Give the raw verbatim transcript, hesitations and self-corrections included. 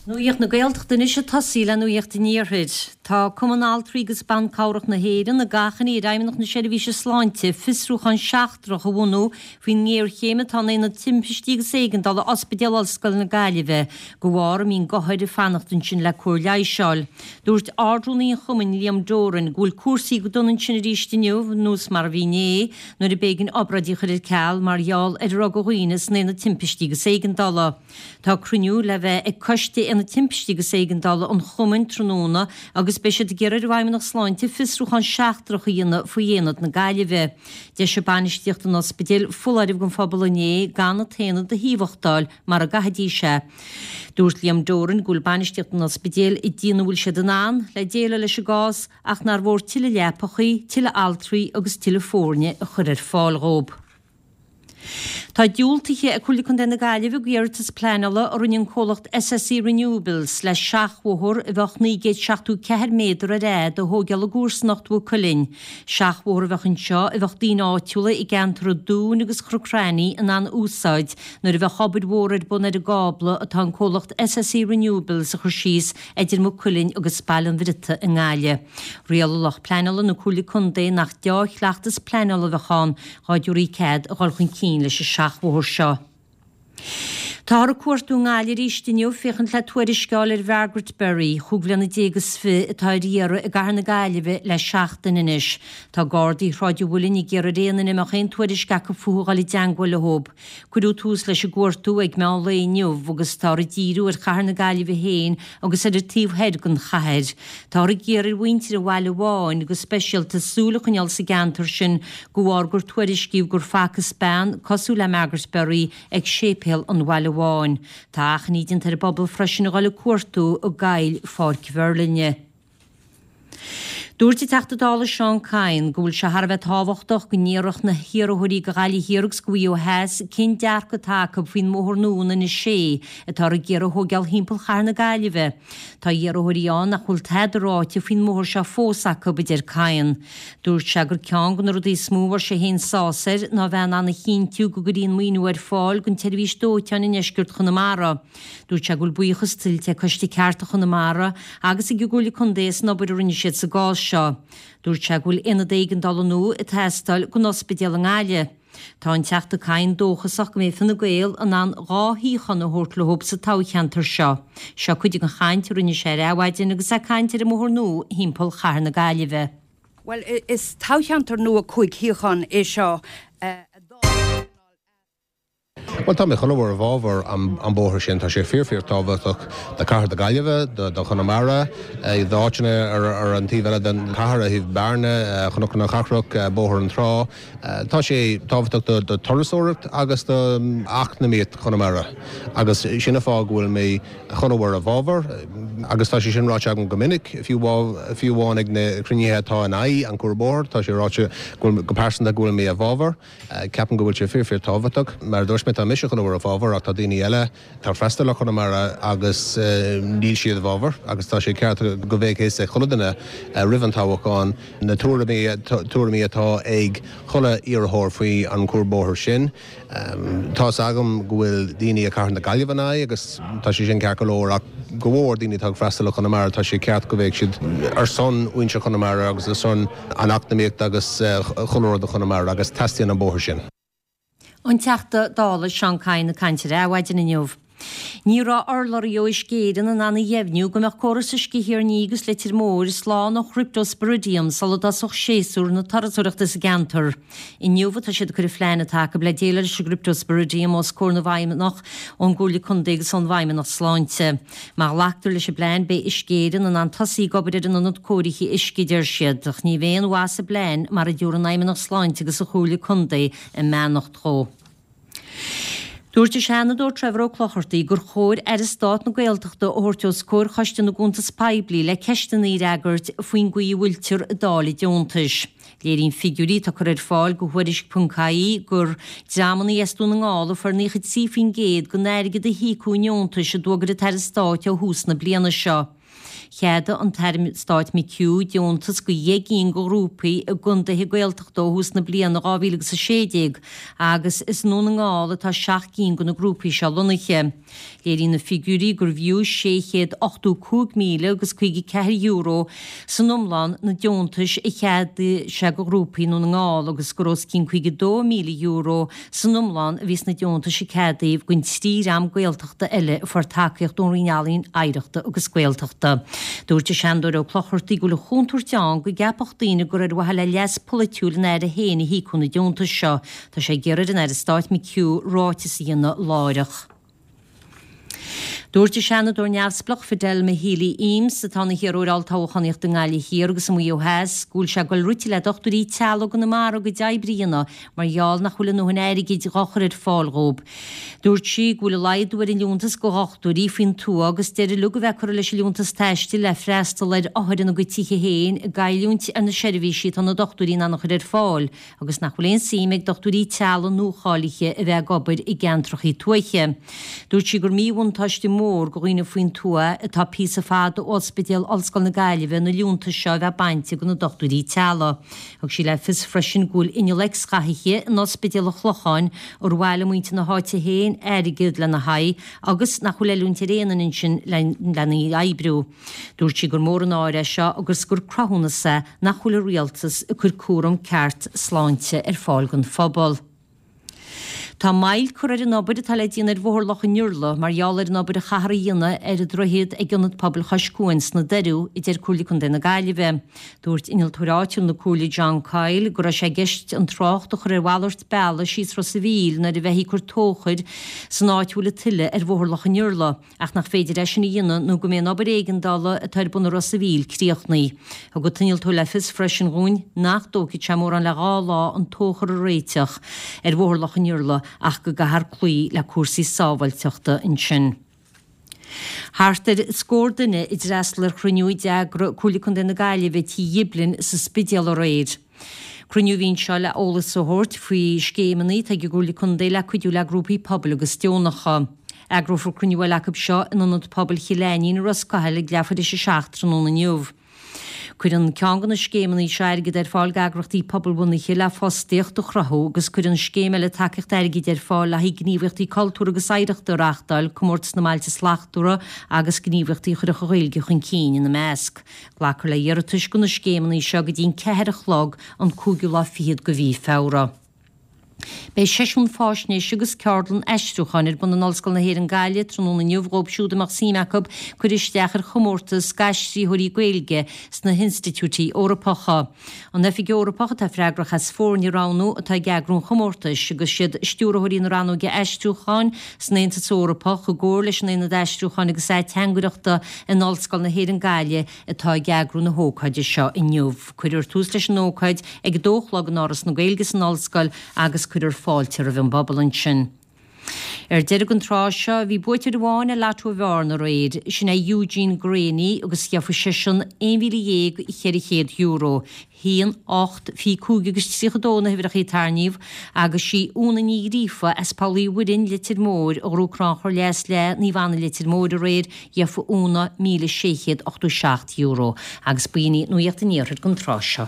Nuacht na Gaeltachta anois ag tosaí le Nuacht an Iarthair. Tá Cumann Altraí agus Ban Cabhrach na hÉireann ag achainí ar Fheidhmeannacht na Seirbhíse Sláinte fiosrúchán seachtrach a bhunú faoin ngéarchéim atá in Aonad Timpistí agus Éigeandála Ospidéal Ollscoile na Gaillimhe de bharr a mbíonn d'othair ag fanacht ansin le cóir leighis a fháil. Dúirt Ard-Rúnaí an Chumainn Liam Doran go bhfuil cúrsaí go dona ansin arís inniu nós mar a bhí inné nuair a b'éigean obráidí a chur ar ceal mar gheall ar a raibh de dhaoine san Aonad Timpistí agus Éigeandála. Tá cruinniú le bheith ag Coiste Aonad Timpistí agus Éigeandála an Chumainn tráthnóna agus beidh siad ag iarraidh ar an bhFeidhmeannacht Sláinte fiosrúchán seachtrach a dhéanamh faoi Aonad na Gaillimhe. D'eisigh bainistíocht an ospidéil foláireamh don phobal inné gan an t-aonad a thaobhachtáil mar a gcaithfidís é. Dúirt Liam Doran go bhfuil bainistíocht an ospidéil ag déanamh a bhfuil siad in ann le déileáil leis an gcás ach nár mhór tuilleadh leapachaí, tuilleadh altraí agus tuilleadh foirne a chur ar fáil dhóibh. Tá diúltaithe ag Comhairle Contae na Gaillimhe d'iarratas pleanála a rinne an comhlacht SSE Renewables le seachbhóthar a bheadh naoi gcéad seachtó ceathair méadar ar fhad a thógáil i gcomharsanacht Mhaigh Cuilinn. Seachbhóthar a bheadh anseo a bheadh daoine áitiúla i gceantar an Dúin agus Chnoc Raithní in ann a úsáid nuair a bheadh obair mhór ar bun ar an gcábla atá an comhlacht SSE Renewables a chur síos idir Maigh Cuilinn agus Baile an Bhriotaigh i nGaillimh. Rialaigh lucht pleanála na Comhairle Contae nach deá-chleachtas pleanála a bheadh ann dhá dtabharfaí cead a dhul chun cinn leis an seachbhóthar seo. Táthar ag cuartú i nGaillimh arís inniu féachaint le tuairisc a fháil ar Mhargaret Berry, chúig bhliana déag is fiche atá ar iarraidh i gcathair na Gaillimhe le seachtain anois. Tá Gardaí Shráid an Mhuilinn ag iarraidh ar aon duine a mbeadh aon tuairisc acu fúithi a dhul i dteangmháil leo. Cuireadh tús leis an gcuartú ag meán lae inniu agus táthar ag díriú ar chathair na Gaillimhe féin agus ar an taobh thoir den chathair. Táthar ag iarraidh ar mhuintir an Bhaile Bháin go speisialta súil a choinneáil sa gceantar sin de bharr gur tuairiscíodh gur facthas bean cosúil le Margaret Berry ag séipéal an Bhaile Bháin. Tá achainí déanta ar an bpobal freisin a dhul ag cuartú i gcoill Pháirc Mheirlinne. Dúirt an Teachta Dála Seán Kyne go bhfuil sé thar a bheith tábhachtach go ndéarfadh na hiarrthóirí do Ghaillimh Thiar agus do Mhaigh Eo Theas cén dearcadh atá acu faoin mbóthar nua an N sé atáthar ag iarraidh a thógáil thimpeall chathair na Gaillimhe. Tá iarrthóirí ann nach bhfuil tada ráite faoin mbóthar seo fós acu, a deir Kyne. Dúirt sé gur ceann de na rudaí is mó a bhfuair sé féin sásamh air ná bheith in ann a chinntiú go gcuirfí an maoiniú ar fáil don tseirbhís dóiteáin i ndeisceart Chonamara. Dúirt sé go bhfuil buíochas tuillte ag Coiste Cearta Chonamara agus ag an gComhairle Contae as an obair a rinne siad sa gcás seo. Dúirt sé go bhfuil aonad éigeandála nua ag teastáil don ospidéal i nGaillimh. Tá an Teachta Kyne dóchasach go mbeidh Fine Gael in ann dhá shuíochán a thabhairt leo sa toghcheantar seo. Seo cuid den chaint a rinne sé ar Adhmhaidin agus é ag caint ar an mbóthar nua thimpeall chathair na Gaillimhe. Bhuel, is toghcheantar nua cúig shuíochán é seo. Bhuel, tá mé chomh mór i bhfabhar an bóthar sin. Tá sé fíor fíor tábhachtach do chathair na Gaillimhe, do Chonamara, d'áiteanna ar an taobh eile den chathair, ó thaobh Bearna, Chnoc na Cathrach, Bóthar na Trá. Tá sé tábhachtach do turasóireacht agus do eacnamaíocht Chonamara agus sin an fáth go bhfuil mé chomh mór i bhfabhar agus tá sé sin ráite agam go minic, fiú fiú amháin ag na cruinnithe atá in aghaidh an cuarbhóthar, tá sé ráite go go pearsanta go bhfuil mé i bhfabhar. Ceapaim go bhfuil sé fíor fíor tábhachtach. Mar a dúirt mé tá mise chomh mór i bhfabhar ach tá daoine eile atá ag freastal ar Chonamara agus níl siad i bhfabhar agus tá sé ceart go mbeadh fhios ag chuile duine roimh an toghchán na tuairimí tuairimí atá ag chuile iarrthóir faoi an cuarbhóthar sin. Tá's agam go bhfuil daoine i cathair na Gaillimhe in aghaidh agus tá sé sin ceart go leor ach go mhór daoine atá ag freastal ar Chonamara tá sé ceart go mbeadh siad ar son mhuintir Chonamara agus ar son an eacnamaíocht agus chuile rud do Chonamara agus teastaíonn an bóthar sin. An Teachta Dála Seán Kyne ag caint ar Adhmhaidin inniu. Ní raibh urlabhraí ó Uisce Éireann in ann a dheimhniú go mbeadh córas uisce Thír an Fhia agus Leitir Móir slán ó Chryptosporidium sula dtosódh séasúr na turasóireachta sa gceantar. Inniu atá siad ag cur an phlean atá acu le déileáil leis an gCryptosporidium os comhair na bhfeidhmeannach ón gComhairle Contae agus ón bhFeidhmeannacht Sláinte. Má ghlactar leis an bplean beidh Uisce Éireann in ann tosaí ag obair ar an ionad cóirithe uisce, a deir siad. Ach ní bheidh aon mhaith sa bplean mara dtabharfaidh an Fheidhmeannacht Sláinte agus an Chomhairle Contae a mbeannacht dhó. Dúirt an Seanadóir Trevor Ó Clochartaigh gur chóir Aire Stáit na Gaeltachta a thabhairt os comhair Choiste na gCuntas Poiblí le ceisteanna a fhreagairt faoin gcaoi a bhfuiltear ag dáileadh deontais. Léiríonn figiúirí atá curtha ar fáil do Thuairisc ponc ie gur dreamanna as Dún na nGall a fuair naocha trí faoin gcéad den airgead a híocadh i ndeontais a d'fhógair an tAire Stáit ó thús na bliana seo. Cheadaigh an tAire Stáit McHugh deontas do dheich gcinn de ghrúpaí i gcontaetha Gaeltachta ó thús na bliana dhá mhíle agus a sé déag agus is i nDún na nGall atá seacht gcinn de na grúpaí seo lonnaithe. Léiríonn na figiúirí gurbh fhiú sé chéad ochtó cúig míle agus caoga ceathair euro san iomlán na deontais a cheadaigh sé do ghrúpaí i nDún na nGall agus gur os cionn caoga dó míle euro san iomlán a bhí sna deontais a ceadaíodh don trí dhream Gaeltachta eile a fuair tacaíocht ón Roinn Ealaíon, Oidhreachta agus Gaeltachta. Dúirt an Seanadóir Ó Clochartaigh go bhfuil an chontúirt ann go gceapfadh daoine gur ar mhaithe le leas polaitiúil an Aire féin a híocadh na deontais seo. Tá sé ag iarraidh ar an Aire Stáit McHugh ráiteas a dhéanamh láithreach. Dúirt an Seanadóir neamhspleách Fidelma Healy Eames, atá ina hiarrthóir olltoghchánaíochta i nGaillimh Thiar agus i Maigh Eo Theas, go bhfuil sé ag dul rite le dochtúirí teaghlaigh i gConamara a gcuid oibre a dhéanamh mar gheall nach bhfuil a ndóthain airgid dhá chur ar fáil dhóibh. Dúirt sí go bhfuil an laghdú ar an liúntas do dhochtúirí faoin tuath agus deireadh uilig a bheith curtha leis an liúntas taistil le freastal ar othair ina gcuid tithe féin ag goilliúint ar na seirbhísí atá na dochtúirí in ann a chur ar fáil agus nach bhfuil aon suim ag dochtúirí teaghlaigh nuacháilithe a bheith ag obair i gceantracha tuaithe. Dúirt sí gur míbhuntáiste mór do dhaoine faoin tuath atá píosa fada ó Ospidéal Ollscoil na Gaillimhe na liúntais seo a bheith bainte de na dochtúirí teaghlaigh. Thug sí le fios freisin go bhfuil inneall X-ghathaithe in Ospidéal an Chlocháin ar mhaith le muintir na háite féin airgead lena haghaidh agus nach bhfuil oiliúint ar aon duine ansin lena oibriú. Dúirt sí gur mór an náire é seo agus gur cruthúnas é nach bhfuil an rialtas ag cur cúram ceart sláinte ar fáil don phobal. Tá moill curtha ar an obair atá le déanamh ar Bhóthar Loch an Iarla mar gheall ar an obair a chaithfear a dhéanamh ar an droichead ag Ionad Pobail Chois Cuain sna Doiriú, a deir Comhairle Contae na Gaillimhe. Dúirt innealtóir áitiúil na Comhairle John Coyle go raibh sé i gceist an trácht a chur ar mhalairt bealaigh síos Ros a' Mhíl nuair a bheifí ag cur tóchair san áit a bhfuil an tuile ar Bhóthar Loch an Iarla ach nach féidir é sin a dhéanamh nó go mbeidh an obair éigeandála atá ar bun i Ros a' Mhíl críochnaithe. Thug an t-innealtóir le fios freisin dhúinn nach dtógfaidh sé mórán le dhá lá an tóchar a réiteach ar Bhóthar Loch an Iarla ach go gcaithfear cloí le cúrsaí sábháilteachta ansin. Thart ar scór duine a d'fhreastal ar chruinniú a d'eagraigh Comhairle Contae na Gaillimhe i Tigh Ghiblin sa Spidéal aréir. Cruinniú a bhí anseo le eolas a thabhairt faoi scéimeanna atá ag an gComhairle Contae le cuidiú le grúpaí pobail agus deonacha. Eagrófar cruinniú eile acu seo in Ionad Pobail Chill Ainnín i Ros Cathail ag leathuair tar éis a seacht tráthnóna inniu. Cuireann ceann de na scéimeanna seo airgead ar fáil d'eagraíochtaí pobalbhunaithe le fostaíocht a chruthú agus cuireann scéim eile tacaíocht airgid ar fáil le haghaidh gníomhaíochtaí cultúrtha agus oidhreachta a reáchtáil, Comórtas na mBailte Slachtmhara agus gníomhaíochtaí a chuirfeadh an Ghaeilge chun cinn ina measc. Glacfar le hiarratais do na scéimeanna seo go dtí an ceathair a chlog an cúigiú lá fichead de mhí Feabhra. Beidh seisiún faisnéise agus ceardlann aistriúcháin ar bun in Ollscoil na hÉireann Gaillimh tráthnóna inniu dhóibh siúd a mbeadh suim acu cur isteach ar chomórtas d'aistritheoirí Gaeilge sna hinstitiúidí Eorpacha. An Oifig Eorpach atá freagrach as foirne a roghnú atá ag eagrú an chomórtais agus siad stiúrthóirí na Rannóige Aistriúcháin san Aontas Eorpach i gcomhar leis an Aonad Aistriúcháin agus Ateangaireachta in Ollscoil na hÉireann Gaillimh atá ag eagrú na hócáide seo inniu. Cuirfear tús leis an ócáid ag a dó a chlog in Áras na Gaeilge san Ollscoil agus cuirfear fáilte roimh an bpobal ansin. Ar deireadh an tráth seo, bhí buaiteoir amháin ar Lotto Bhearna aréir, sin é Eugene Greaney agus gheofaidh seisean aon mhíle dhéag cheithre chéad euro. haon, ocht, fiche cúig agus tríocha dó na huimhreacha a tarraingíodh agus sí Úna Ní Ghríofa as Poll Uí Mhuirinn, Leitir Móir, a ghnóthaigh Crannchur Leas le Naomh Anna Leitir Móir aréir, gheofaidh Úna míle sé chéad ochtó seacht euro. Agus b'in í Nuacht an Iarthair don tráth seo.